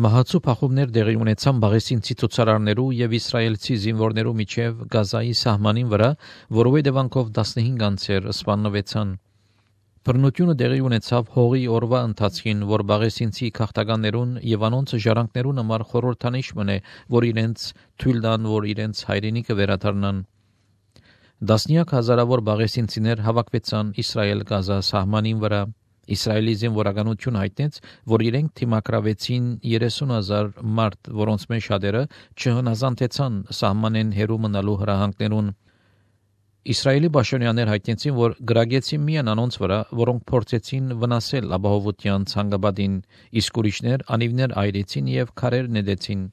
Մահացու փախուվներ դեղի ունեցան բաղեսինցի ցուցարարներու եւ իսրայելցի զինվորներու միջև Գազայի սահմանին վրա, որով հետևանքով 15 անձեր սպանվեցան։ Բռնությունը դեղի ունեցավ հողի օրվա ընթացքին, որ բաղեսինցի քաղաքականներուն եւ անոնց ժառանգներուն համար խորհրդանիշ մնե, որ իրենց թույլ տան, որ իրենց հայրենիքը վերադառնան։ Դասնյակ հազարավոր բաղեսինցիներ հավաքվեցան Իսրայել-Գազա սահմանին վրա։ Իսրայելի զինվորականություն հայտնեց, որ իրենք թիմակրավեցին 30,000 մարդ, որոնց մեջ շատերը չհնազանդեցան սահմանեն հեռու մնալու հրահանգներուն։ Իսրայելի պաշտոնյաներ հայտնեցին, որ գրագեցին միայն անոնց վրա, որոնք փորձեցին վնասել ապահովության ցանկապատին, իսկ ուրիշներ անիվներ այրեցին եւ քարեր նետեցին։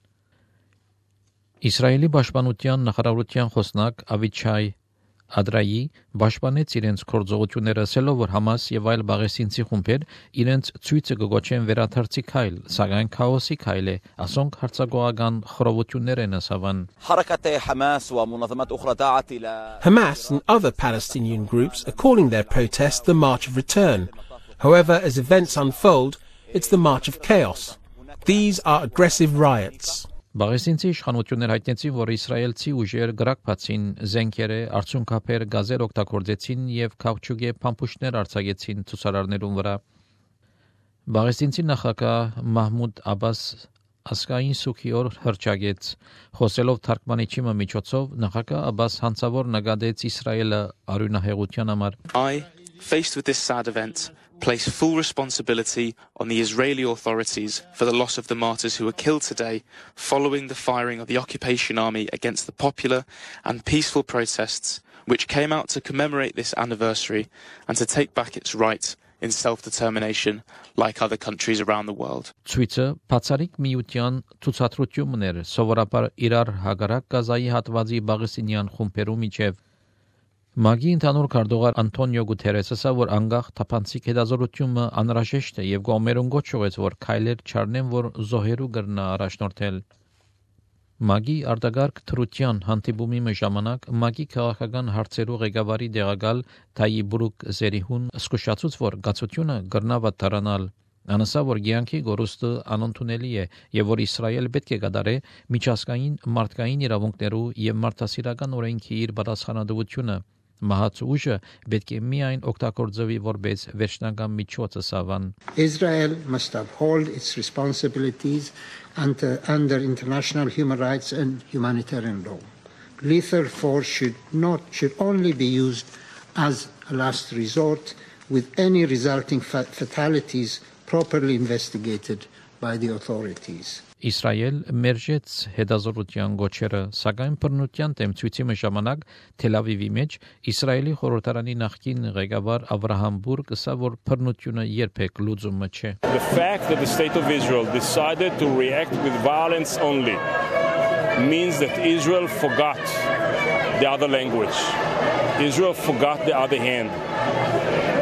Իսրայելի պաշտպանության նախարարության խոսնակ Ավիչայ Ադրայի պաշտպանեց իրենց գործողությունները, ասելով, որ Համաս եւ այլ բաղեսինցի խումբեր իրենց ցույցը կգոչեն վերադարձի քայլ, սակայն քաոսի քայլ է, ասոնք հարձակողական խռովություններ են ասավան։ Hamas and other Palestinian groups are calling their protest the March of Return. However, as events unfold, it's the March of Chaos. These are aggressive riots. Բաղեսինցի իշխանություններ հայտնեցին, որ իսրայելցի ուժեր գրակփացին զենքերը, արցունքափեր, գազեր օգտագործեցին եւ քաղցուկե փամփուշտներ արձակեցին ցուցարարներուն վրա։ Բաղեսինցի նախագահ Մահմուդ Աբաս ասկային սուքի օր հրճագեց, խոսելով թարգմանիչի միջոցով նախագահ Աբաս հանցավոր նկատեց Իսրայելը արյունահեղության համար։ I, faced with this sad event, place full responsibility on the Israeli authorities for the loss of the martyrs who were killed today following the firing of the occupation army against the popular and peaceful protests which came out to commemorate this anniversary and to take back its right in self-determination like other countries around the world. Ցույցը բացառիկ միության ցուցադրություններ սովորաբար իրար հագարակ Գազայի հատվածի բաղեսինյան խումբերու միջև Մագի ընդհանուր քարտուղար Անտոնիո Գուտերեսը ասա, որ անգախ թափանցիկ հետազոտությունը անհրաժեշտ է եւ գոմերուն գոչուեց, որ քայլեր չառնեն, որ զոհերու գրնա առաջնորդել։ Մագի արտագարկ թրության հանդիպումի ժամանակ Մագի քաղաքական հարցերու ղեկավարի դեղակալ Թայի Բրուկ Զերիհուն զսկուշացուց, որ գացությունը գրնա վատարանալ։ Անասա, որ գյանքի գորուստը անընդունելի է եւ որ Իսրայել պետք է կատարե միջազգային մարդկային իրավունքներու եւ մարդասիրական օրենքի իր պատասխանատվությունը։ Մահացու ուժը պետք է միայն օգտագործվի որպես վերջնական միջոց ասավան։ Israel must uphold its responsibilities under international human rights and humanitarian law. Lethal force should only be used as a last resort, with any resulting fatalities properly investigated by the authorities. Իսրայել մերժեց հետազոտության գոչերը, սակայն բռնության դեմ ցույցի ժամանակ Թել Ավիվի մեջ Իսրայելի խորհրդարանի նախկին ղեկավար Ավրահամ Բուրգ ասա, որ բռնությունը երբեք լուծումը չէ։ The fact that the state of Israel decided to react with violence only means that Israel forgot the other language. Israel forgot the other hand.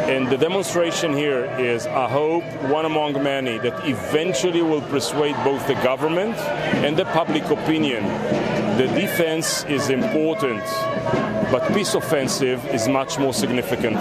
And the demonstration here is a hope, one among many, that eventually will persuade both the government and the public opinion. The defense is important, but peace offensive is much more significant.